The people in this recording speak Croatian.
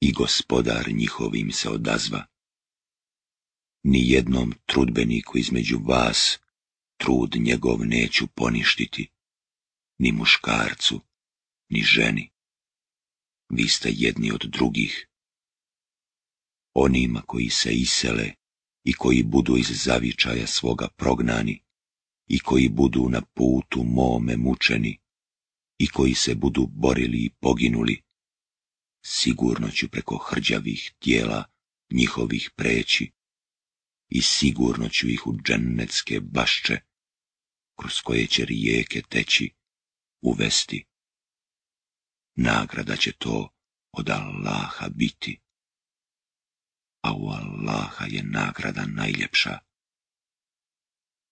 i Gospodar njihovim se odazva. Ni jednom trudbeniku između vas trud njegov neću poništiti, ni muškarcu, ni ženi. Vi ste jedni od drugih. Onima koji se isele i koji budu iz zavičaja svoga prognani i koji budu na putu mome mučeni i koji se budu borili i poginuli, sigurno ću preko hrđavih tijela njihovih preći i sigurno ću ih u džennetske bašče, kroz koje će rijeke teći, uvesti. Nagrada će to od Allaha biti, a u Allaha je nagrada najljepša.